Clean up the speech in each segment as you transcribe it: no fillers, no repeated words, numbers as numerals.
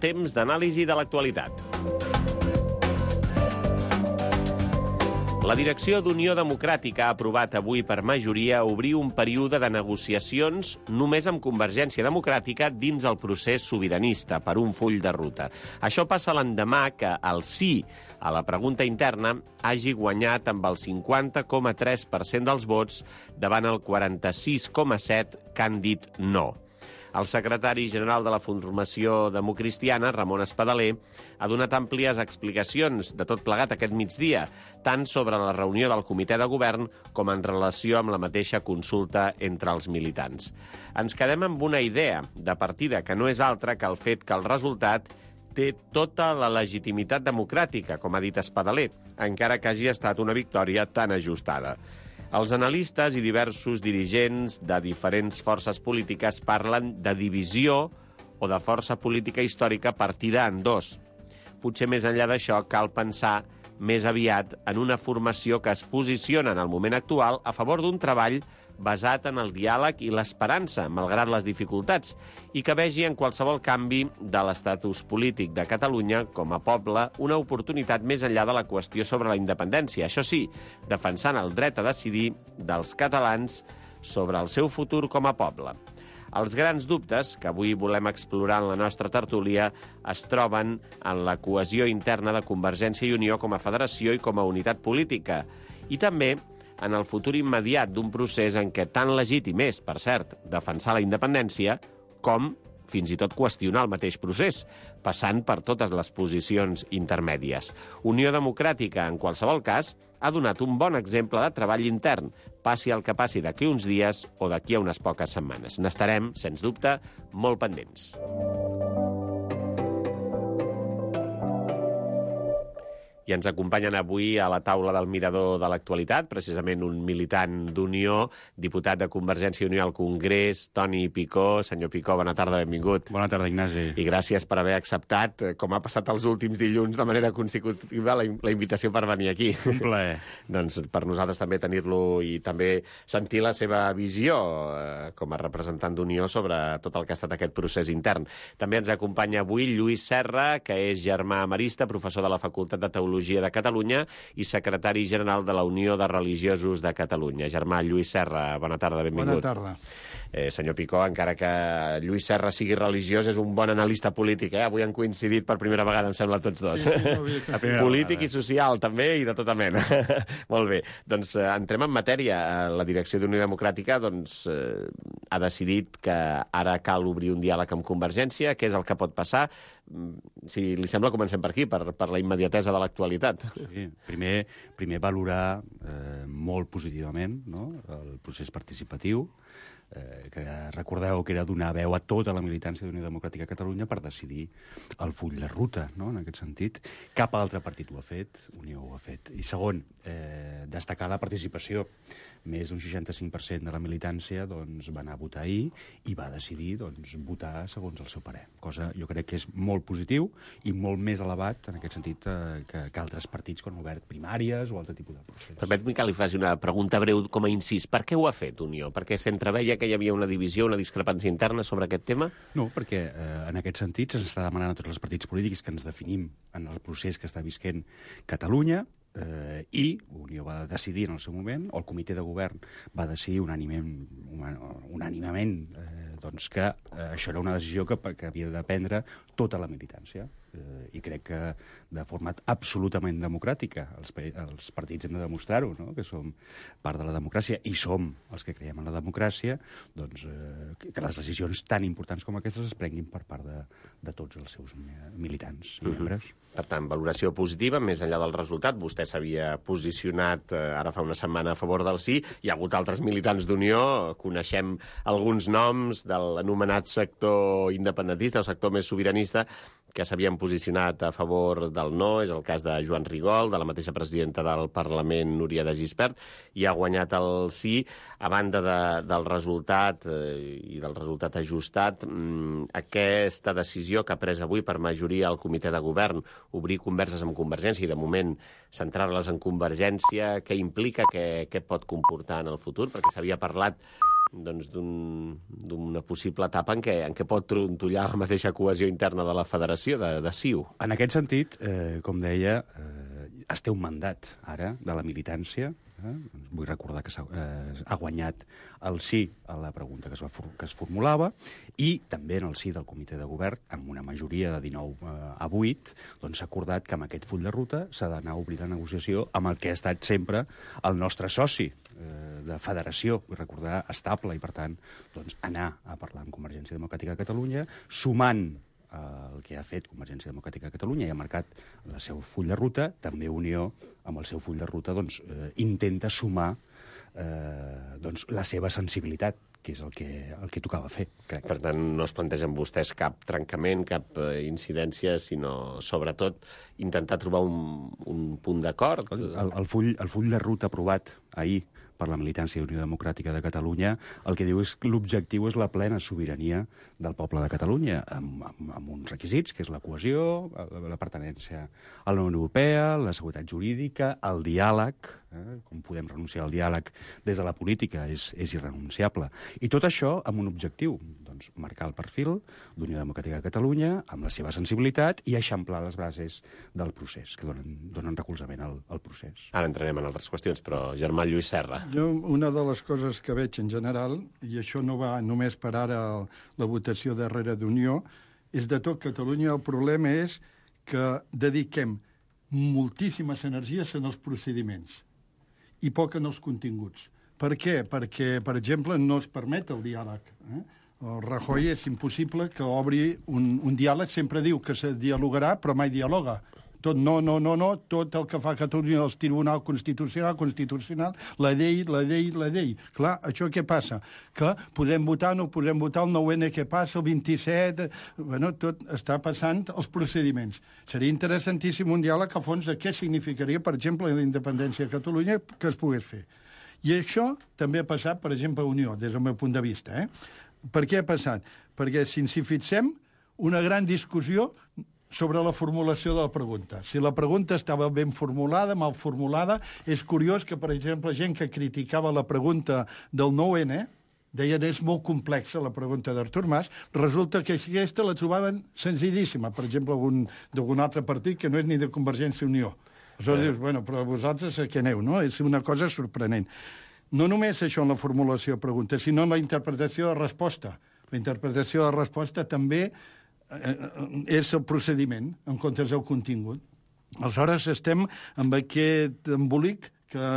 temps d'anàlisi de l'actualitat. La direcció d'Unió Democràtica ha aprovat avui per majoria obrir un període de negociacions només amb Convergència Democràtica dins el procés sobiranista per un full de ruta. Això passa l'endemà que el sí a la pregunta interna hagi guanyat amb el 50,3% dels vots davant el 46,7% que han dit no. El secretari general de la formació democristiana, Ramon Espadaler, ha donat àmplies explicacions de tot plegat aquest migdia, tant sobre la reunió del comitè de govern com en relació amb la mateixa consulta entre els militants. Ens quedem amb una idea de partida que no és altra que el fet que el resultat té tota la legitimitat democràtica, com ha dit Espadaler, encara que hagi estat una victòria tan ajustada. Els analistes i diversos dirigents de diferents forces polítiques parlen de divisió o de força política històrica partida en dos. Potser més enllà d'això cal pensar més aviat en una formació que es posiciona en el moment actual a favor d'un treball basat en el diàleg i l'esperança, malgrat les dificultats, i que vegi en qualsevol canvi de l'estatus polític de Catalunya com a poble una oportunitat més enllà de la qüestió sobre la independència. Això sí, defensant el dret a decidir dels catalans sobre el seu futur com a poble. Els grans dubtes que avui volem explorar en la nostra tertúlia es troben en la cohesió interna de Convergència i Unió com a federació i com a unitat política, i també en el futur immediat d'un procés en què tan legítim és, per cert, defensar la independència, com fins i tot qüestionar el mateix procés, passant per totes les posicions intermèdies. Unió Democràtica, en qualsevol cas, ha donat un bon exemple de treball intern, passi el que passi d'aquí uns dies o d'aquí a unes poques setmanes. N'estarem, sens dubte, molt pendents. I ens acompanyen avui a la taula del Mirador de l'Actualitat, precisament un militant d'Unió, diputat de Convergència i Unió al Congrés, Toni Picó. Senyor Picó, bona tarda, benvingut. Bona tarda, Ignasi. I gràcies per haver acceptat, com ha passat els últims dilluns, de manera consecutiva, la invitació per venir aquí. Un plaer. Doncs per nosaltres també tenir-lo i també sentir la seva visió com a representant d'Unió sobre tot el que ha estat aquest procés intern. També ens acompanya avui Lluís Serra, que és germà emerista, professor de la Facultat de Teologia de Catalunya i secretari general de la Unió de Religiosos de Catalunya. Germà Lluís Serra, bona tarda, benvingut. Bona tarda. Senyor Picó, encara que Lluís Serra sigui religiós, és un bon analista polític, Avui han coincidit per primera vegada, em sembla, tots dos. Sí, Polític i social, també, i de tota mena. Molt bé. Doncs entrem en matèria. La direcció d'Unió Democràtica ha decidit que ara cal obrir un diàleg amb Convergència. Què és el que pot passar? Si li sembla, comencem per aquí, per la immediatesa de l'actualitat. Sí, primer valorar molt positivament, no?, el procés participatiu, que recordeu que era donar veu a tota la militància d'Unió Democràtica a Catalunya per decidir el full de ruta, no?, en aquest sentit. Cap altre partit ho ha fet, Unió ho ha fet. I segon, destacar la participació. Més d'un 65% de la militància va anar a votar ahir i va decidir votar segons el seu parer. Cosa, jo crec que és molt positiu i molt més elevat, en aquest sentit, que altres partits que han obert primàries o altre tipus de procés. Permet-me que li faci una pregunta breu com a incís. Per què ho ha fet Unió? Perquè s'entreveia que hi havia una divisió, una discrepància interna sobre aquest tema? No, perquè en aquest sentit se'ns està demanant a tots els partits polítics que ens definim en el procés que està visquent Catalunya, i Unió va decidir en el seu moment, o el comitè de govern va decidir unànimement que això era una decisió que havia de prendre tota la militància. I crec que de forma absolutament democràtica els partits hem de demostrar-ho, no?, que som part de la democràcia i som els que creiem en la democràcia, que les decisions tan importants com aquestes es prenguin per part de tots els seus militants i membres. Per tant, valoració positiva, més enllà del resultat. Vostè s'havia posicionat ara fa una setmana a favor del sí. Hi ha hagut altres militants d'Unió, coneixem alguns noms de l'anomenat sector independentista, el sector més sobiranista, que s'havien posicionat a favor del no. És el cas de Joan Rigol, de la mateixa presidenta del Parlament, Núria de Gispert, i ha guanyat el sí. A banda del resultat i del resultat ajustat, aquesta decisió que ha pres avui per majoria el comitè de govern, obrir converses amb Convergència i, de moment, centrar-les en Convergència, què implica, què pot comportar en el futur? Perquè s'havia parlat d'una possible etapa en què pot trontollar la mateixa cohesió interna de la federació, de CiU. En aquest sentit, com deia, es té un mandat ara de la militància. Vull recordar que ha guanyat el sí a la pregunta que es formulava i també en el sí del comitè de govern, amb una majoria de 19 a 8, doncs s'ha acordat que amb aquest full de ruta s'ha d'anar a obrir la negociació amb el que ha estat sempre el nostre soci de federació, vull recordar, estable, i per tant doncs, anar a parlar amb Convergència Democràtica de Catalunya, sumant el que ha fet Convergència Democràtica de Catalunya i ha marcat el seu full de ruta, també Unió, amb el seu full de ruta, doncs, intenta sumar doncs, la seva sensibilitat, que és el que tocava fer, crec. Per tant, no es plantegen vostès cap trencament, cap incidència, sinó, sobretot, intentar trobar un punt d'acord. El full de ruta aprovat ahir per la militància d'Unió Democràtica de Catalunya, el que diu és que l'objectiu és la plena sobirania del poble de Catalunya, amb uns requisits, que és la cohesió, la pertinença a la Unió Europea, la seguretat jurídica, el diàleg, com podem renunciar al diàleg des de la política, és irrenunciable. I tot això amb un objectiu, doncs, marcar el perfil d'Unió Democràtica de Catalunya, amb la seva sensibilitat, i eixamplar les bases del procés, que donen recolzament al procés. Ara entrarem en altres qüestions, però Germà Lluís Serra. Jo, una de les coses que veig en general, i això no va només per ara la votació darrere d'Unió, és de tot Catalunya. El problema és que dediquem moltíssimes energies en els procediments i poc en els continguts. Per què? Perquè, per exemple, no es permet el diàleg. El Rajoy és impossible que obri un diàleg, sempre diu que se dialogarà, però mai dialoga. Tot no, tot el que fa Catalunya, el Tribunal Constitucional, la llei. Clar, això què passa? Que podem votar, no podem votar, el 9N què passa, el 27... Bueno, tot està passant els procediments. Seria interessantíssim un diàleg a fons de què significaria, per exemple, la independència de Catalunya que es pogués fer. I això també ha passat, per exemple, a Unió, des del meu punt de vista. Per què ha passat? Perquè, si ens hi fixem, una gran discussió sobre la formulació de la pregunta. Si la pregunta estava ben formulada, mal formulada, és curiós que, per exemple, gent que criticava la pregunta del 9N, deien és molt complexa la pregunta d'Artur Mas, resulta que aquesta la trobaven senzillíssima, per exemple, d'algun altre partit que no és ni de Convergència i Unió. Aleshores dius, bueno, però vosaltres a què aneu, no? És una cosa sorprenent. No només això en la formulació de pregunta, sinó en la interpretació de resposta. La interpretació de resposta també és el procediment, en comptes del contingut. Aleshores estem amb aquest embolic que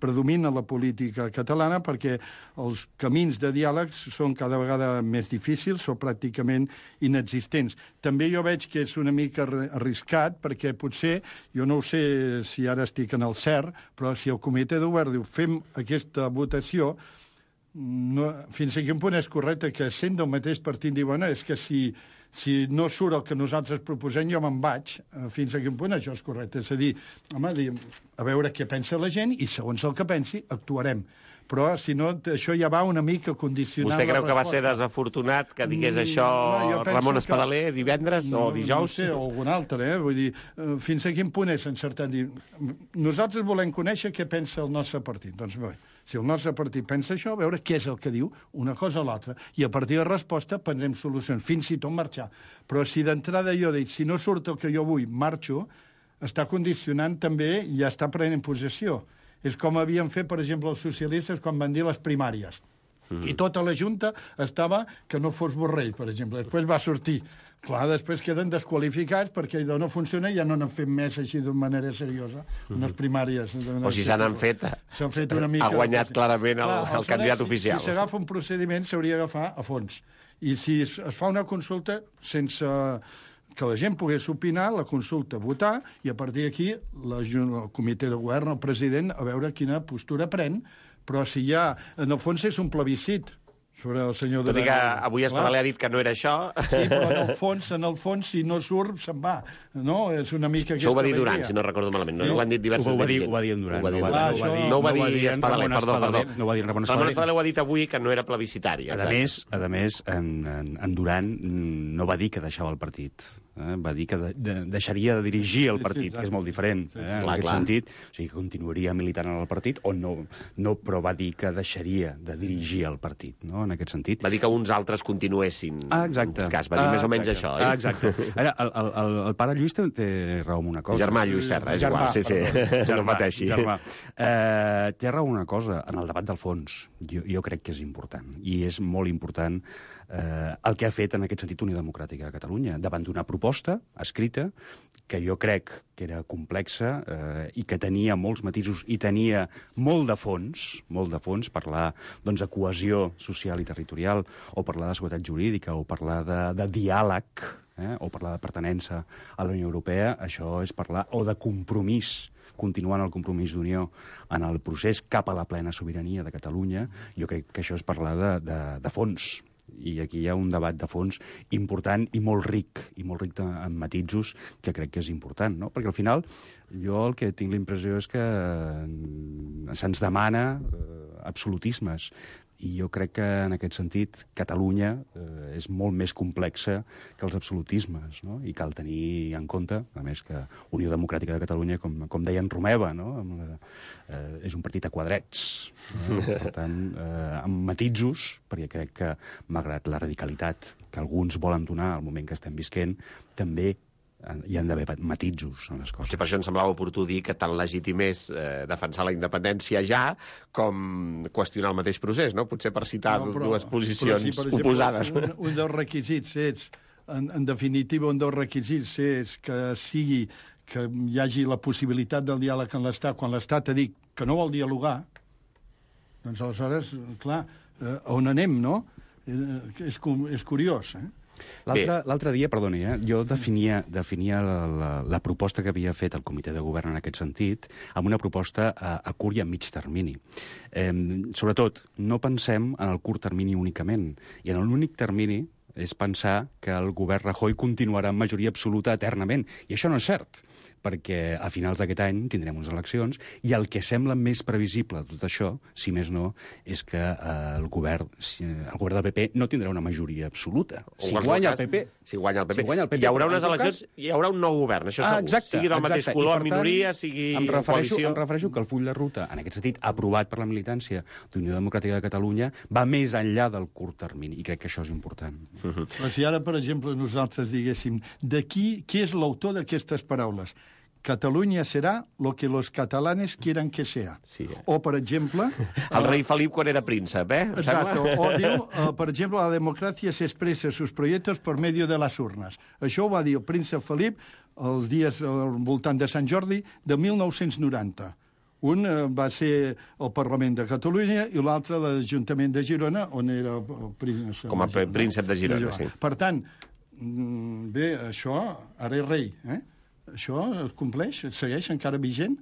predomina la política catalana perquè els camins de diàleg són cada vegada més difícils o pràcticament inexistents. També jo veig que és una mica arriscat perquè potser, jo no ho sé si ara estic en el cert, però si el comitè de govern diu fem aquesta votació, fins a quin punt és correcte que sent del mateix partit diu, bueno, és que si no surt el que nosaltres proposem, jo me'n vaig. Fins a quin punt això és correcte? És a dir, home, a veure què pensa la gent i segons el que pensi, actuarem. Però, si no, això ja va una mica condicionar la resposta. Vostè creu que va ser desafortunat que digués això Ramon Espadaler divendres o dijous? No sé, o algun altre, Vull dir, fins a quin punt és encertat? Nosaltres volem conèixer què pensa el nostre partit. Doncs bé, si el nostre partit pensa això, a veure què és el que diu, una cosa o l'altra, i a partir de resposta prendrem solucions, fins i tot marxar. Però si d'entrada jo dic, si no surt el que jo vull, marxo, està condicionant també i ja està prenent possessió. És com havien fet, per exemple, els socialistes quan van dir les primàries. I tota la Junta estava que no fos Borrell, per exemple. Després va sortir. Clar, després queden desqualificats perquè allò no funciona i ja no n'han fet més així d'una manera seriosa. Unes primàries... O si se n'han fet, una mica... Ha guanyat clarament el candidat oficial. Si s'agafa un procediment, s'hauria d'agafar a fons. I si es fa una consulta sense que la gent pogués opinar, la consulta, votar, i a partir d'aquí el comitè de govern, el president, a veure quina postura pren, però si ja, en el fons és un plebiscit sobre el senyor Tot i que avui Espadaler ha dit que no era això. Sí, però en el fons, si no surt, se'n va. No? És una mica això ho va dir Duran, si no recordo malament. No? Ho han dit diversos ho va dir en Duran. No ho va dir Espadaler, perdó. No ho va dir Ramon Espadaler. Ramon Espadaler ho ha dit avui que no era plebiscitari. A més, en Duran no va dir que deixava el partit va dir que deixaria de dirigir el partit, que és molt diferent, en aquest sentit. O sigui, que continuaria militant en el partit, o no, però va dir que deixaria de dirigir el partit, no?, en aquest sentit. Va dir que uns altres continuessin. Exacte. Cas, va dir més o menys això, oi? Exacte. Ara, el pare Lluís té raó en una cosa. Germà Lluís Serra, és igual, sí. No pateixi. Germà. Té raó en una cosa, en el debat del fons. Jo crec que és important, i és molt important el que ha fet en aquest sentit Unió Democràtica de Catalunya, davant d'una proposta escrita que jo crec que era complexa i que tenia molts matisos i tenia molt de fons, parlar doncs, de cohesió social i territorial, o parlar de seguretat jurídica, o parlar de diàleg, o parlar de pertinença a la Unió Europea. Això és parlar, o de compromís, continuant el compromís d'unió en el procés cap a la plena sobirania de Catalunya. Jo crec que això és parlar de fons. I aquí hi ha un debat de fons important i molt ric en matisos, que crec que és important, no? Perquè al final jo el que tinc la impressió és que se'ns demana absolutismes, i jo crec que en aquest sentit Catalunya és molt més complexa que els absolutismes, no? I cal tenir en compte, a més, que Unió Democràtica de Catalunya, com deia en Romeva, no?, és un partit a quadrets, no? Per tant, amb matisos, perquè crec que, malgrat la radicalitat que alguns volen donar al moment que estem visquent, també hi han d'haver matisos en les coses. Sí, per això em semblava oportú dir que tan legítim és defensar la independència ja com qüestionar el mateix procés, no? Potser per citar dues posicions oposades. Un dels requisits és, en definitiva, un dels requisits és que hi hagi la possibilitat del diàleg amb l'Estat. Quan l'Estat ha dit que no vol dialogar, doncs aleshores, clar, on anem, no? És curiós, L'altre dia, perdoni, jo definia la proposta que havia fet el comitè de govern en aquest sentit amb una proposta a curt i a mig termini. Sobretot, no pensem en el curt termini únicament, i en l'únic termini és pensar que el govern Rajoy continuarà en majoria absoluta eternament. I això no és cert, perquè a finals d'aquest any tindrem unes eleccions, i el que sembla més previsible de tot això, si més no, és que el govern del PP no tindrà una majoria absoluta. Si guanya el PP, hi haurà unes eleccions, hi haurà un nou govern, això segur. Exacte, sigui del mateix color, minoria, sigui coalició. Em refereixo que el full de ruta, en aquest sentit, aprovat per la militància d'Unió Democràtica de Catalunya, va més enllà del curt termini, i crec que això és important. Però si ara, per exemple, nosaltres diguéssim qui és l'autor d'aquestes paraules? Catalunya serà lo que los catalanes quieran que sea. Sí. O, per exemple... El rei Felip quan era príncep, Exacto. O diu, per exemple, la democràcia s'expressa sus proyectos por medio de las urnas. Això ho va dir el príncep Felip els dies al voltant de Sant Jordi de 1990. Un va ser el Parlament de Catalunya i l'altre l'Ajuntament de Girona, on era el príncep. Com a príncep de Girona, sí. Per tant, bé, això ara és rei, Això es compleix? Es segueix encara vigent?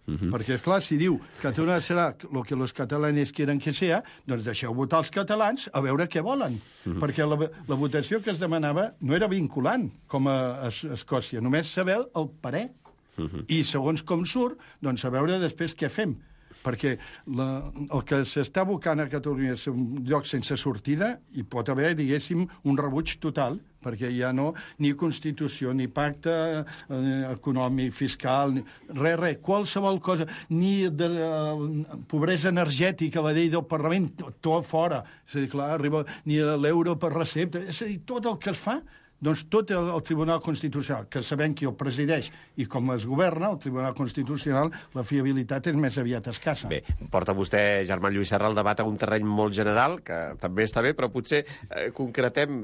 Perquè, esclar, si diu Catalunya serà el que los catalanes quieren que sea, doncs deixeu votar els catalans a veure què volen. Perquè la votació que es demanava no era vinculant, com a Escòcia, només saber el parer. I segons com surt, doncs a veure després què fem. Perquè el que s'està abocant a Catalunya és un lloc sense sortida, i pot haver, diguéssim, un rebuig total, perquè ja no, ni Constitució, ni pacte econòmic, fiscal, res, qualsevol cosa, ni de pobresa energètica, la llei del Parlament, tot fora. És a dir, clar, arriba ni l'euro per recepta. És a dir, tot el que es fa, doncs tot el Tribunal Constitucional, que sabem qui el presideix i com es governa, el Tribunal Constitucional, la fiabilitat és més aviat escassa. Bé, porta vostè, Germà Lluís Serra, el debat a un terreny molt general, que també està bé, però potser concretem,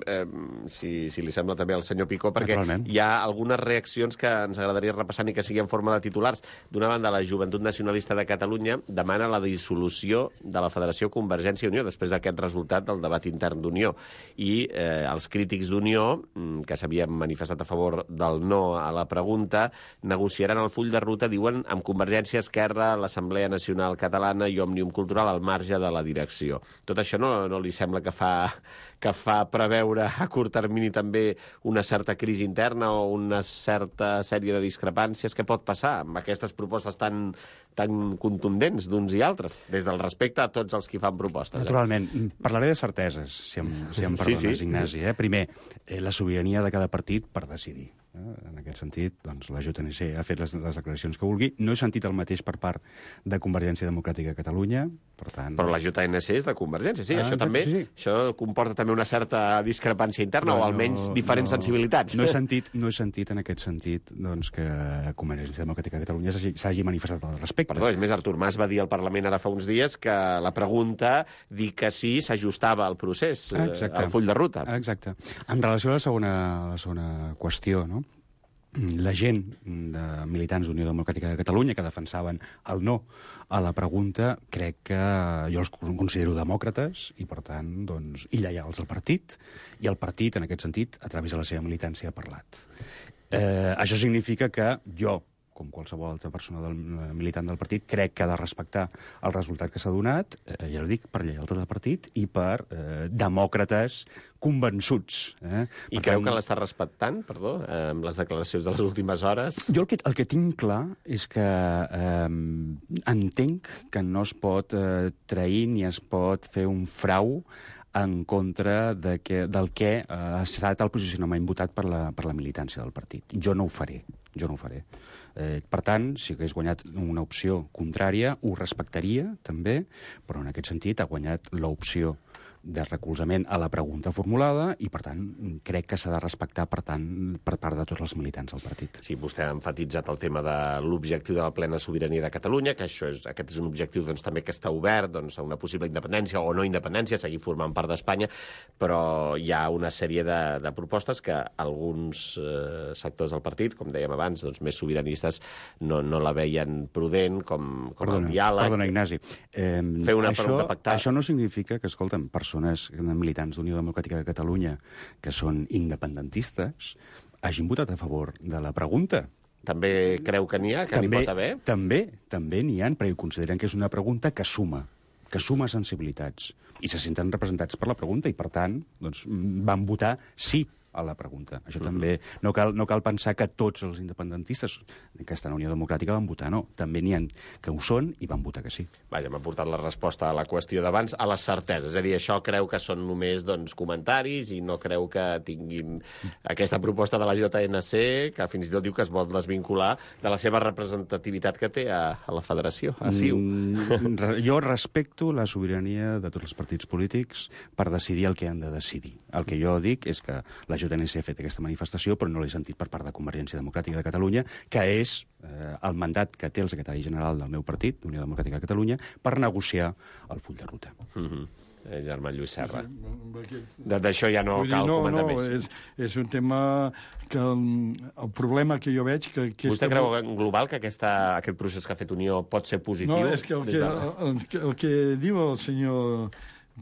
si li sembla també al senyor Picó, perquè hi ha algunes reaccions que ens agradaria repassar i que sigui en forma de titulars. D'una banda, la Joventut Nacionalista de Catalunya demana la dissolució de la Federació Convergència i Unió, després d'aquest resultat del debat intern d'Unió. I els crítics d'Unió, que s'havien manifestat a favor del no a la pregunta, negociaran el full de ruta, diuen, amb Convergència, Esquerra, l'Assemblea Nacional Catalana i Òmnium Cultural al marge de la direcció. Tot això no li sembla que fa preveure a curt termini també una certa crisi interna o una certa sèrie de discrepàncies? Què pot passar amb aquestes propostes tan contundents d'uns i altres, des del respecte a tots els que fan propostes? Naturalment. Parlaré de certeses, si em perdones, Ignasi. Primer, la sobirania sobirania de cada partit per decidir. En aquest sentit, doncs, la JNC ha fet les declaracions que vulgui. No he sentit el mateix per part de Convergència Democràtica de Catalunya, per tant... Però la JNC és de Convergència, sí. Això exacte, també sí. Això comporta també una certa discrepància interna, o almenys diferents sensibilitats. No he sentit en aquest sentit doncs, que Convergència Democràtica de Catalunya s'hagi manifestat al respecte. Perdó, és més, Artur Mas va dir al Parlament ara fa uns dies que la pregunta dir que sí s'ajustava al procés, al full de ruta. Exacte. En relació a la segona qüestió, no? La gent de militants d'Unió Democràtica de Catalunya que defensaven el no a la pregunta, crec que jo els considero demòcrates i, per tant, doncs, i lleials al partit, i el partit, en aquest sentit, a través de la seva militància, ha parlat. Això significa que jo, com qualsevol altra persona militant del partit, crec que ha de respectar el resultat que s'ha donat, ja ho dic, per lleialtat del partit i per demòcrates convençuts. I creu que l'està respectant, perdó, amb les declaracions de les últimes hores? Jo el que tinc clar és que entenc que no es pot trair ni es pot fer un frau en contra del que ha estat el posicionament votat per la militància del partit. Jo no ho faré. Per tant, si hagués guanyat una opció contrària, ho respectaria, també, però en aquest sentit ha guanyat l'opció de recolzament a la pregunta formulada i, per tant, crec que s'ha de respectar, per tant, per part de tots els militants del partit. Sí, vostè ha enfatitzat el tema de l'objectiu de la plena sobirania de Catalunya, que aquest és un objectiu doncs, també que està obert doncs, a una possible independència o no independència, seguir formant part d'Espanya, però hi ha una sèrie de propostes que alguns sectors del partit, com dèiem abans, doncs, més sobiranistes, no la veien prudent, com el diàleg. Perdona, Ignasi. Fer una pregunta pactada. Això no significa que, escolta'm, persones militants d'Unió Democràtica de Catalunya que són independentistes hagin votat a favor de la pregunta. També creu que n'hi ha, que n'hi pot haver? També n'hi ha, perquè consideren que és una pregunta que suma sensibilitats i se senten representats per la pregunta i, per tant, doncs, van votar sí a la pregunta. Això també no cal pensar que tots els independentistes que estan a Unió Democràtica van votar no. També n'hi ha que ho són i van votar que sí. Vaja, m'ha portat la resposta a la qüestió d'abans a les certeses. És a dir, això creu que són només comentaris i no creu que tinguin aquesta proposta de la JNC, que fins i tot diu que es vol desvincular de la seva representativitat que té a la federació, a CiU. Jo respecto la sobirania de tots els partits polítics per decidir el que han de decidir. El que jo dic és que la JNC ha fet aquesta manifestació, però no l'he sentit per part de Convergència Democràtica de Catalunya, que és el mandat que té el secretari general del meu partit, d'Unió Democràtica de Catalunya, per negociar el full de ruta. Germà Lluís Serra. D'això ja no cal comentar més. És un tema que el problema que jo veig... Vostè creu en global que aquest procés que ha fet Unió pot ser positiu? No, és que el que diu el senyor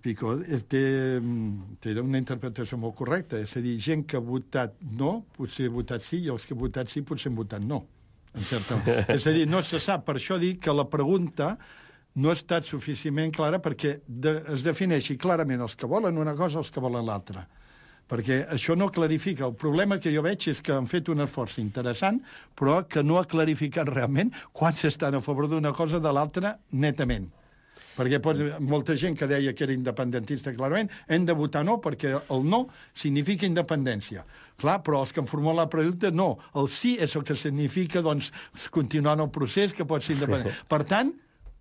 Picó té una interpretació molt correcta. És a dir, gent que ha votat no, potser ha votat sí, i els que han votat sí potser han votat no. És a dir, no se sap. Per això dic que la pregunta no ha estat suficientment clara perquè es defineixi clarament els que volen una cosa o els que volen l'altra. Perquè això no clarifica. El problema que jo veig és que han fet un esforç interessant, però que no ha clarificat realment quan s'estan a favor d'una cosa de l'altra netament. Perquè molta gent que deia que era independentista, clarament, hem de votar no, perquè el no significa independència. Clar, però els que han formulat la pregunta, no. El sí és el que significa, doncs, continuar en el procés, que pot ser independent. Per tant,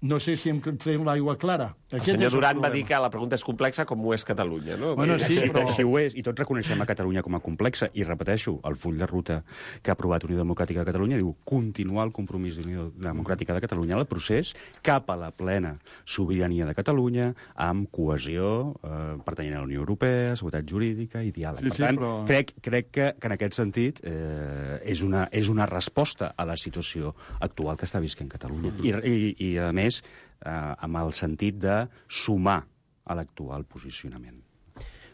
no sé si em treu l'aigua clara. El senyor Duran va dir que la pregunta és complexa com ho és Catalunya, no? Bueno, sí, però... Així ho és, i tots reconeixem a Catalunya com a complexa, i repeteixo, el full de ruta que ha aprovat Unió Democràtica de Catalunya diu continuar el compromís d'Unió Democràtica de Catalunya al procés cap a la plena sobirania de Catalunya, amb cohesió, pertanyent a la Unió Europea, seguretat jurídica i diàleg. Per tant, crec que en aquest sentit és una resposta a la situació actual que està visquent Catalunya. I a més, amb el sentit de sumar a l'actual posicionament.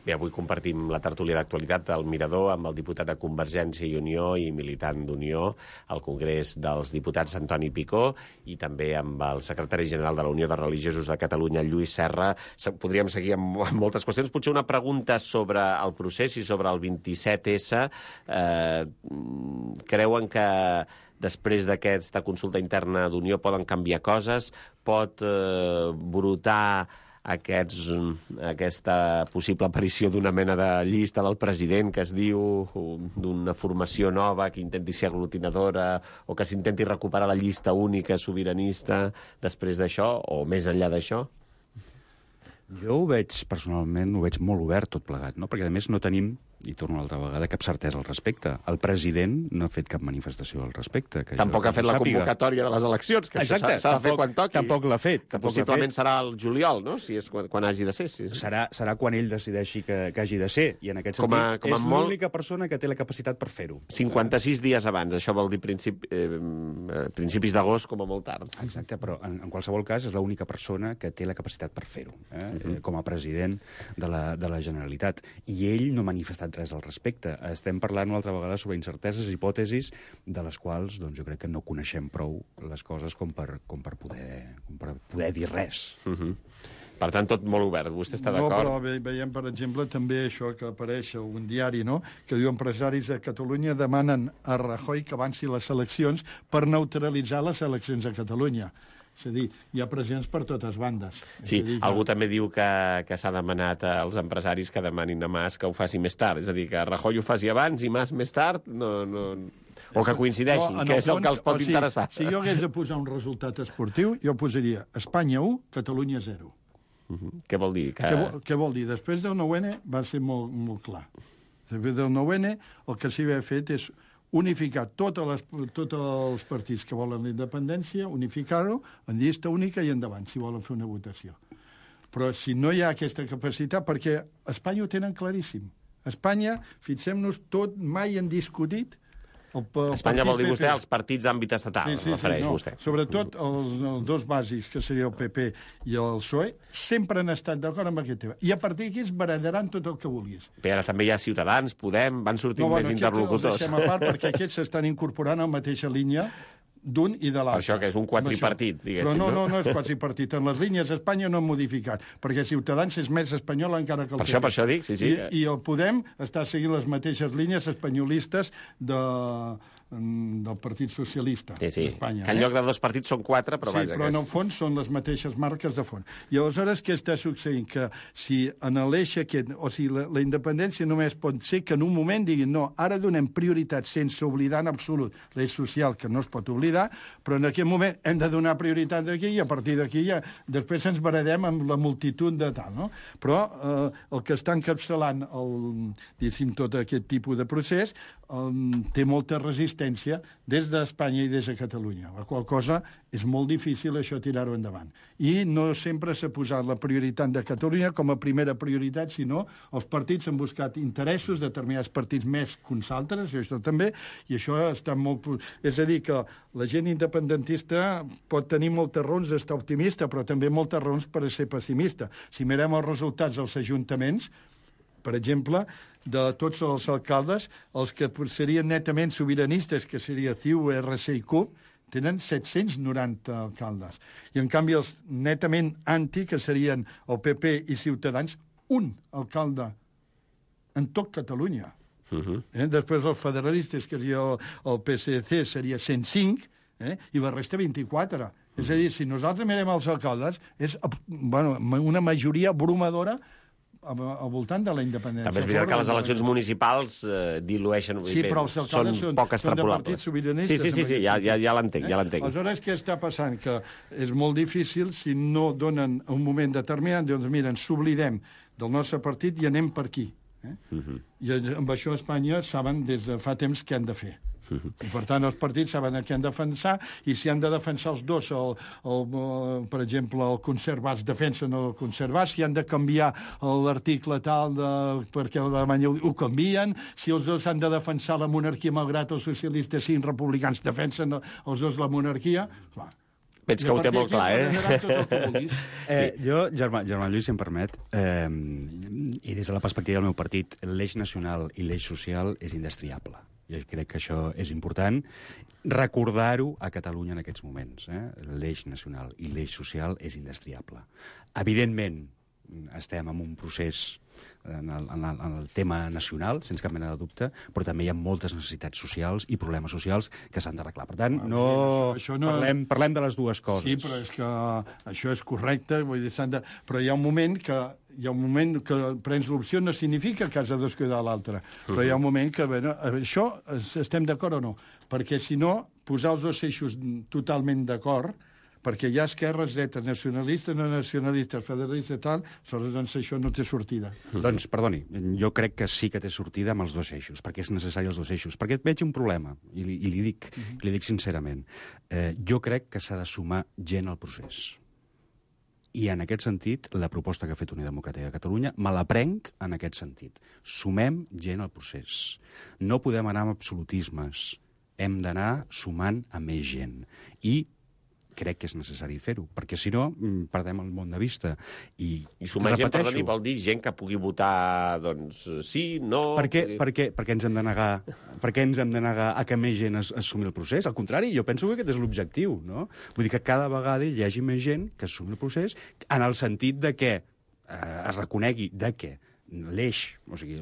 Bé, avui compartim la tertúlia d'actualitat del Mirador amb el diputat de Convergència i Unió i militant d'Unió al Congrés dels Diputats Antoni Picó i també amb el secretari general de la Unió de Religiosos de Catalunya, Lluís Serra. Podríem seguir amb moltes qüestions. Potser una pregunta sobre el procés i sobre el 27S. Creuen que després d'aquesta consulta interna d'Unió poden canviar coses? Pot brotar aquesta possible aparició d'una mena de llista del president que es diu, d'una formació nova que intenti ser aglutinadora o que s'intenti recuperar la llista única sobiranista després d'això o més enllà d'això? Jo ho veig, personalment, ho veig molt obert tot plegat, no? Perquè, a més, no tenim, i torno una altra vegada, cap certesa al respecte. El president no ha fet cap manifestació al respecte. Tampoc ha fet la convocatòria de les eleccions, que exacte, això s'ha de fer quan toqui. Tampoc l'ha fet. Que possiblement serà el juliol, no? Si és quan hagi de ser. Sí. Serà quan ell decideixi que hagi de ser, i en aquest sentit és l'única persona que té la capacitat per fer-ho. 56 dies abans, això vol dir principis d'agost com a molt tard. Exacte, però en qualsevol cas és l'única persona que té la capacitat per fer-ho, com a president de la Generalitat. I ell no ha manifestat res al respecte. Estem parlant una altra vegada sobre incerteses, hipòtesis, de les quals doncs, jo crec que no coneixem prou les coses com per poder dir res. Per tant, tot molt obert. Vostè està d'acord? No, però veiem, per exemple, també això que apareix a un diari, no?, que diu empresaris a Catalunya demanen a Rajoy que avanci les eleccions per neutralitzar les eleccions a Catalunya. És a dir, hi ha pressions per totes bandes. Sí, algú també diu que s'ha demanat als empresaris que demanin a Mas que ho faci més tard. És a dir, que Rajoy ho faci abans i Mas més tard, o que coincideixin, que és el que els pot interessar. Si jo hagués de posar un resultat esportiu, jo posaria Espanya 1, Catalunya 0. Què vol dir? Què vol dir? Després del 9-N va ser molt clar. Després del 9-N el que s'hi havia fet és unificar tots els partits que volen la independència, unificar-ho en llista única i endavant, si volen fer una votació. Però si no hi ha aquesta capacitat, perquè a Espanya ho tenen claríssim. A Espanya, fixem-nos, tot mai han discutit... Espanya vol dir vostè els partits d'àmbit estatal, refereix vostè. Sobretot els dos bàsics, que seria el PP i el PSOE, sempre han estat d'acord amb aquest tema. I a partir d'aquí es barallaran tot el que vulguis. Però ara també hi ha Ciutadans, Podem, van sortint més interlocutors. Els deixem a part perquè aquests s'estan incorporant a la mateixa línia d'un i de l'altre. Per això que és un quadripartit, diguéssim. Però no és quadripartit. En les línies Espanya no han modificat, perquè Ciutadans és més espanyol encara que el PP. Per això dic, sí. I el Podem està seguint les mateixes línies espanyolistes del Partit Socialista d'Espanya. Que en lloc de dos partits són quatre, però vaja... Sí, però en el fons són les mateixes marques de fons. I aleshores què està succeint? Que si en l'eix aquest, o sigui, la independència només pot ser que en un moment diguin no, ara donem prioritat sense oblidar en absolut l'eix social, que no es pot oblidar, però en aquest moment hem de donar prioritat d'aquí i a partir d'aquí ja després ens baradem amb la multitud de tal, no? Però el que està encapçalant tot aquest tipus de procés té molta resistència des d'Espanya i des de Catalunya, la qual cosa és molt difícil això tirar-ho endavant. I no sempre s'ha posat la prioritat de Catalunya com a primera prioritat, sinó els partits han buscat interessos, determinats partits més que uns altres, això també, i això està molt... És a dir, que la gent independentista pot tenir moltes raons d'estar optimista, però també moltes raons per ser pessimista. Si mirem els resultats dels ajuntaments, per exemple, de tots els alcaldes, els que serien netament sobiranistes, que seria CiU, RC i CUP, tenen 790 alcaldes. I, en canvi, els netament anti, que serien el PP i Ciutadans, un alcalde en tot Catalunya. Després els federalistes, que seria el PSC, seria 105, i la resta 24. És a dir, si nosaltres mirem els alcaldes, és una majoria abrumadora al voltant de la independència. També és veritat que les eleccions municipals dilueixen... Sí, però els alcaldes són de partits sobiranistes. Sí, ja l'entenc. Aleshores, què està passant? Que és molt difícil, si no donen un moment determinat, doncs mira, ens oblidem del nostre partit i anem per aquí. I amb això a Espanya saben des de fa temps què han de fer. I, per tant, els partits saben què han de defensar, i si han de defensar els dos, per exemple, el conservats defensen el conservat, si han de canviar l'article tal perquè l'Alemanya ho canvien, si els dos han de defensar la monarquia, malgrat els socialistes siguin republicans, defensen els dos la monarquia, clar. Veig que ho té molt clar, Jo, Germán Lluís, si em permet, i des de la perspectiva del meu partit, l'eix nacional i l'eix social és indestriable. Jo crec que això és important recordar-ho a Catalunya en aquests moments. L'eix nacional i l'eix social és indestriable. Evidentment, estem en un procés en el tema nacional, sense cap mena de dubte, però també hi ha moltes necessitats socials i problemes socials que s'han d'arreglar. Per tant, parlem de les dues coses. Sí, però és que això és correcte, vull dir, però hi ha un moment que prens l'opció no significa que has de descuidar l'altre, però hi ha un moment que, bé, això estem d'acord o no? Perquè si no, posar els dos eixos totalment d'acord, perquè hi ha esquerres, dretes, nacionalistes, no nacionalistes, federalistes, tal, doncs això no té sortida. Doncs, perdoni, jo crec que sí que té sortida amb els dos eixos, perquè és necessari els dos eixos, perquè veig un problema, i li dic sincerament. Jo crec que s'ha de sumar gent al procés. I en aquest sentit, la proposta que ha fet Unió Democràtica de Catalunya me la prenc en aquest sentit. Sumem gent al procés. No podem anar amb absolutismes. Hem d'anar sumant a més gent. I crec que és necessari fer-ho, perquè si no perdem el món de vista. I sumar gent, perdoni, vol dir gent que pugui votar, doncs, sí, no... Per què ens hem de negar a que més gent es sumi al procés? Al contrari, jo penso que aquest és l'objectiu, no? Vull dir que cada vegada hi hagi més gent que es sumi al procés en el sentit de que es reconegui que l'eix, o sigui,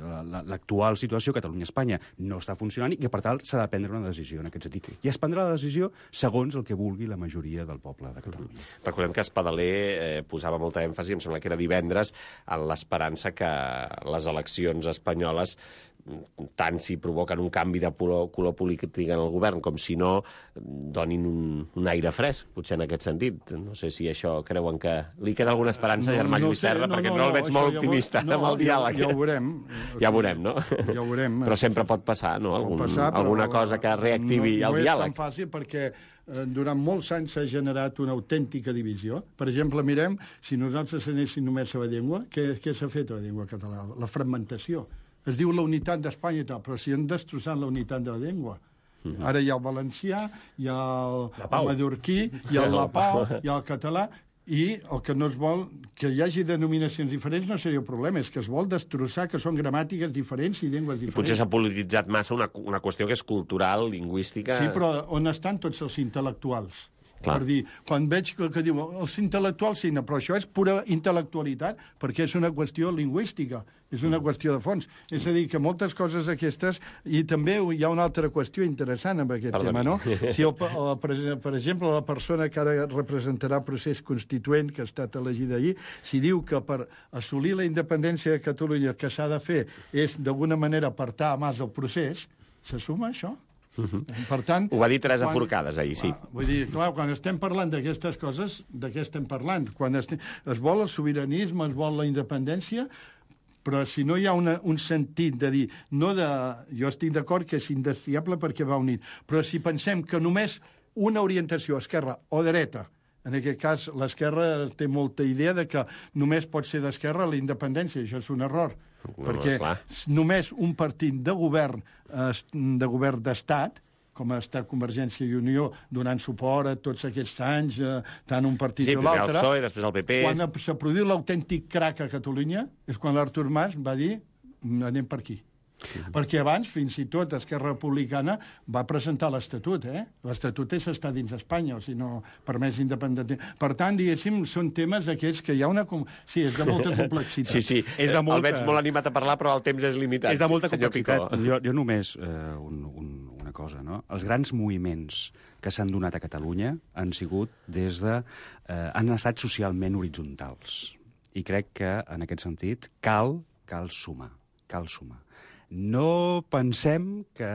l'actual situació Catalunya-Espanya no està funcionant i que, per tant, s'ha de prendre una decisió en aquest sentit. I es prendrà la decisió segons el que vulgui la majoria del poble de Catalunya. Recordem que Espadaler posava molta èmfasi, em sembla que era divendres, en l'esperança que les eleccions espanyoles, tant si provoquen un canvi de color polític en el govern com si no, donin un aire fresc, potser en aquest sentit. No sé si això creuen que li queda alguna esperança a Germà Lluís Serra, perquè no el veig molt optimista amb el diàleg. Ja ho veurem. Ja ho veurem, no? Ja ho veurem. Però sempre pot passar, no? Alguna cosa que reactivi el diàleg. No és tan fàcil perquè durant molts anys s'ha generat una autèntica divisió. Per exemple, mirem, si nosaltres anéssim només a la llengua, què s'ha fet a la llengua catalana? La fragmentació. Es diu la unitat d'Espanya i tal, però si han destrossat la unitat de la llengua. Ara hi ha el valencià, hi ha el mallorquí, hi ha el lapau, hi ha el català, i el que no es vol, que hi hagi denominacions diferents no seria un problema, és que es vol destrossar que són gramàtiques diferents i llengües diferents. I potser s'ha polititzat massa una qüestió que és cultural, lingüística... Sí, però on estan tots els intel·lectuals? Clar. Per dir, quan veig que diu els intel·lectuals sí, però això és pura intel·lectualitat perquè és una qüestió lingüística, és una qüestió de fons. És a dir, que moltes coses aquestes... I també hi ha una altra qüestió interessant amb aquest tema, no? Si per exemple, la persona que ara representarà el procés constituent que ha estat elegida ahir, si diu que per assolir la independència de Catalunya el que s'ha de fer és d'alguna manera apartar a Mas el procés, se suma això? Per tant, ho va dir Teresa Forcades ahir, sí. Vull dir, clar, quan estem parlant d'aquestes coses, de què estem parlant? Quan es vol el sobiranisme, es vol la independència, però si no hi ha un sentit de dir... Jo estic d'acord que és indestriable perquè va unit, però si pensem que només una orientació, esquerra o dreta, en aquest cas l'esquerra té molta idea de que només pot ser d'esquerra la independència, això és un error. Perquè només un partit de govern d'estat, com ha estat Convergència i Unió donant suport a tots aquests anys, tant un partit o l'altre... Sí, primer el PSOE, després el PP... Quan s'ha produït l'autèntic crac a Catalunya és quan l'Artur Mas va dir anem per aquí. Perquè abans, fins i tot, Esquerra Republicana va presentar l'Estatut, L'Estatut és estar dins d'Espanya, o sigui, no permès independent. Per tant, diguéssim, són temes aquests que hi ha una... Sí, és de molta complexitat. Sí, el veig molt animat a parlar, però el temps és limitat. És de molta complexitat. Jo només una cosa, no? Els grans moviments que s'han donat a Catalunya han sigut han estat socialment horitzontals. I crec que, en aquest sentit, cal sumar. No pensem que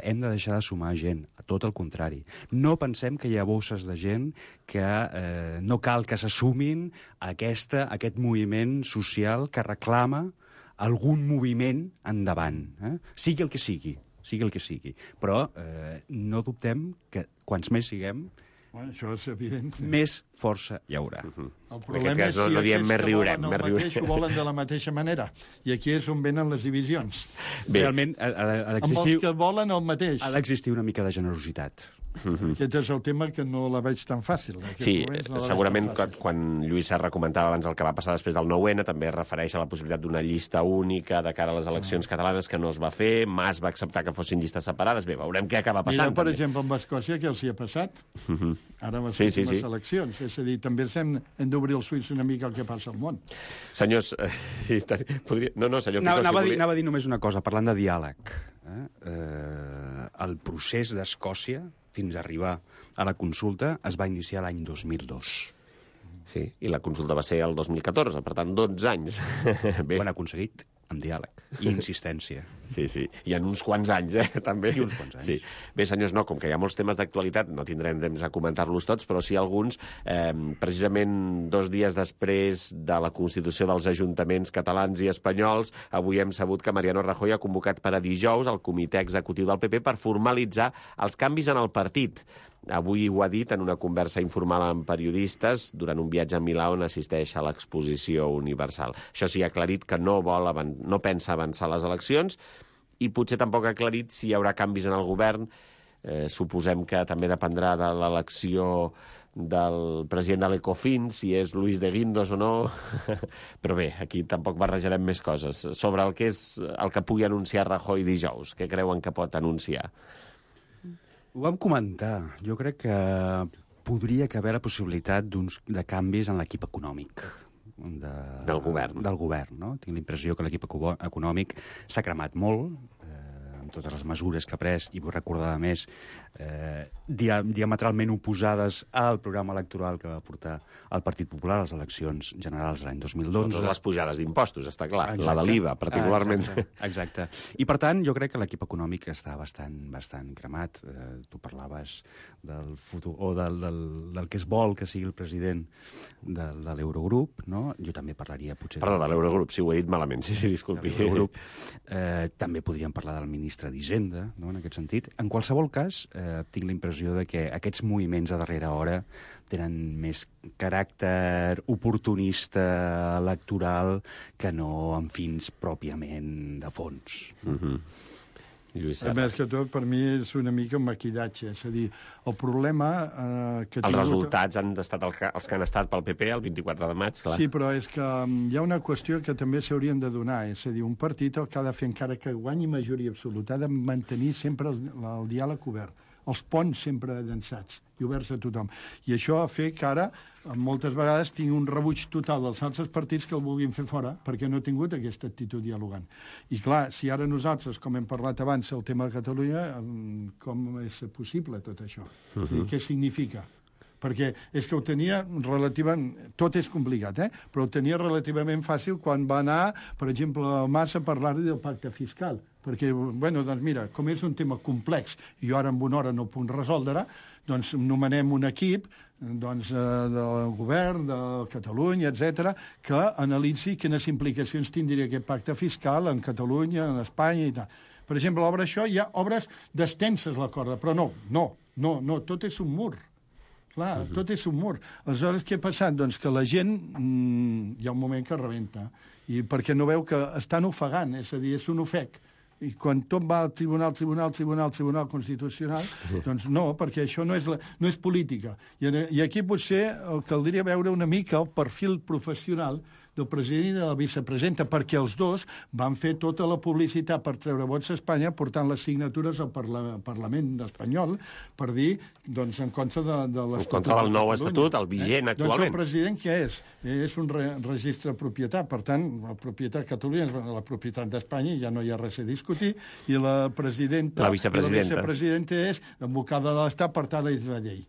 hem de deixar de sumar gent, a tot el contrari. No pensem que hi ha bosses de gent que no cal que se sumin a aquest moviment social que reclama algun moviment endavant. Sigui el que sigui. Però no dubtem que quants més siguem, això és evident. Més força hi haurà. El problema és si aquells que volen el mateix ho volen de la mateixa manera. I aquí és on venen les divisions. Realment, amb els que volen el mateix. Ha d'existir una mica de generositat. Aquest és el tema que no la veig tan fàcil. Sí, segurament quan Lluís Serra comentava abans el que va passar després del 9-N, també es refereix a la possibilitat d'una llista única de cara a les eleccions catalanes que no es va fer. Mas va acceptar que fossin llistes separades. Bé, veurem què acaba passant. Mira, per exemple, amb Escòcia, què els hi ha passat? Ara amb les últimes eleccions. És a dir, també hem d'obrir els ulls una mica al que passa al món. Senyors, podria... No, senyor Picó, anava a dir només una cosa, parlant de diàleg. El procés d'Escòcia fins a arribar a la consulta es va iniciar l'any 2002. Sí, i la consulta va ser el 2014, per tant, 12 anys. Bé. Ho han aconseguit amb diàleg i insistència. Sí, i en uns quants anys, també. I uns quants anys. Sí. Bé, senyors, no, com que hi ha molts temes d'actualitat, no tindrem temps a comentar-los tots, però sí alguns, precisament 2 dies després de la constitució dels ajuntaments catalans i espanyols, avui hem sabut que Mariano Rajoy ha convocat per a dijous el comitè executiu del PP per formalitzar els canvis en el partit. Avui ho ha dit en una conversa informal amb periodistes durant un viatge a Milà on assisteix a l'Exposició Universal. Això sí, ha aclarit que no pensa avançar les eleccions i potser tampoc ha aclarit si hi haurà canvis en el govern. Suposem que també dependrà de l'elecció del president de l'Ecofin, si és Luis de Guindos o no. Però bé, aquí tampoc barrejarem més coses. Sobre el que pugui anunciar Rajoy dijous, què creuen que pot anunciar? Ho vam comentar. Jo crec que podria haver la possibilitat de canvis en l'equip econòmic. Del govern. Del govern, no? Tinc la impressió que l'equip econòmic s'ha cremat molt, amb totes les mesures que ha pres, i vull recordar, a més, diametralment oposades al programa electoral que va portar el Partit Popular a les eleccions generals l'any 2012. Totes les pujades d'impostos, està clar. Exacte. La de l'IVA, particularment. Exacte. I, per tant, jo crec que l'equip econòmic està bastant cremat. Tu parlaves del futur, o del que es vol que sigui el president de l'Eurogrup, no? Jo també parlaria, potser... Perdó, de l'Eurogrup, si ho he dit malament. Sí, disculpi. També podríem parlar del ministre d'Hisenda, no?, en aquest sentit. En qualsevol cas, tinc la impressió de que aquests moviments a darrera hora tenen més caràcter oportunista electoral que no amb fins pròpiament de fons. A més que tot, per mi és una mica un maquillatge. És a dir, el problema que... Els resultats han estat els que han estat pel PP el 24 de maig, clar. Sí, però és que hi ha una qüestió que també s'haurien de donar. És a dir, un partit el que ha de fer, encara que guanyi majoria absoluta, ha de mantenir sempre el diàleg obert, els ponts sempre llançats i oberts a tothom. I això ha fet que ara, moltes vegades, tinc un rebuig total dels altres partits que el vulguin fer fora, perquè no ha tingut aquesta actitud dialogant. I clar, si ara nosaltres, com hem parlat abans, el tema de Catalunya, com és possible tot això? Què significa? Perquè és que ho tenia relativament... Tot és complicat, però ho tenia relativament fàcil quan va anar, per exemple, a Mas a parlar del pacte fiscal. Perquè, bueno, doncs mira, com és un tema complex i jo ara en una hora no puc resoldre, doncs nomenem un equip del govern, de Catalunya, etc, que analitzi quines implicacions tindria aquest pacte fiscal en Catalunya, en Espanya i tal. Per exemple, l'obra això, hi ha obres d'extenses la corda, però no, tot és un mur. Clar, tot és un mur. Aleshores, què ha passat? Doncs que la gent hi ha un moment que rebenta, i perquè no veu que estan ofegant, és a dir, és un ofec. I quan tot va al Tribunal Constitucional, doncs no, perquè això no és política. I aquí potser caldria veure una mica el perfil professional del president i de la vicepresidenta, perquè els dos van fer tota la publicitat per treure vots a Espanya, portant les signatures al Parlament espanyol per dir, doncs, en contra de l'Estatut. En contra del nou Estatut, el vigent actualment. Doncs el president què és? És un registre de propietat. Per tant, la propietat de Catalunya és la propietat d'Espanya, ja no hi ha res a discutir, i la vicepresidenta és advocada de l'Estat, per tant, és la llei.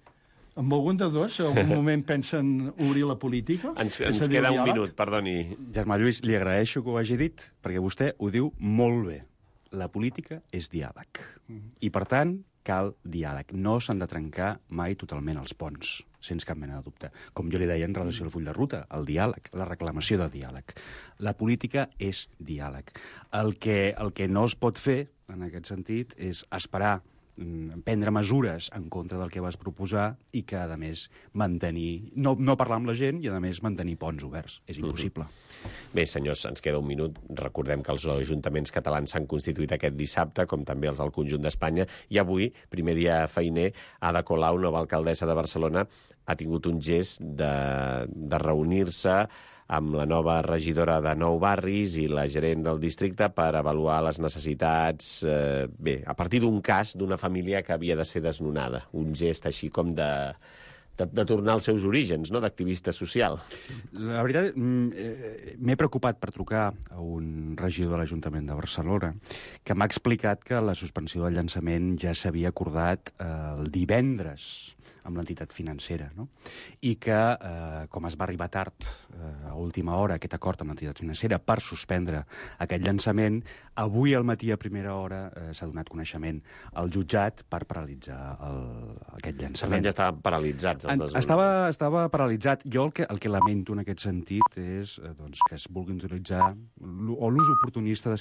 Amb algun de dos, en algun moment pensen obrir la política? Ens queda un minut, perdoni. Germà Lluís, li agraeixo que ho hagi dit, perquè vostè ho diu molt bé. La política és diàleg. I, per tant, cal diàleg. No s'han de trencar mai totalment els ponts, sense cap mena de dubte. Com jo li deia en relació al full de ruta, el diàleg, la reclamació de diàleg. La política és diàleg. El que no es pot fer, en aquest sentit, és esperar prendre mesures en contra del que vas proposar i que, a més, mantenir... No parlar amb la gent i, a més, mantenir ponts oberts. És impossible. Bé, senyors, ens queda un minut. Recordem que els ajuntaments catalans s'han constituït aquest dissabte, com també els del conjunt d'Espanya, i avui, primer dia feiner, Ada Colau, nova alcaldessa de Barcelona, ha tingut un gest de reunir-se amb la nova regidora de 9 barris i la gerent del districte per avaluar les necessitats, a partir d'un cas d'una família que havia de ser desnonada. Un gest així com de tornar als seus orígens, no?, d'activista social. La veritat, m'he preocupat per trucar a un regidor de l'Ajuntament de Barcelona que m'ha explicat que la suspensió del llançament ja s'havia acordat el divendres amb l'entitat financera, no? I que, com es va arribar tard, a última hora, aquest acord amb l'entitat financera per suspendre aquest llançament, avui al matí a primera hora s'ha donat coneixement al jutjat per paralitzar aquest llançament. Per tant, ja estaven paralitzats els desnonaments. Estava paralitzat. Jo el que lamento en aquest sentit és que es vulgui utilitzar o l'ús oportunista de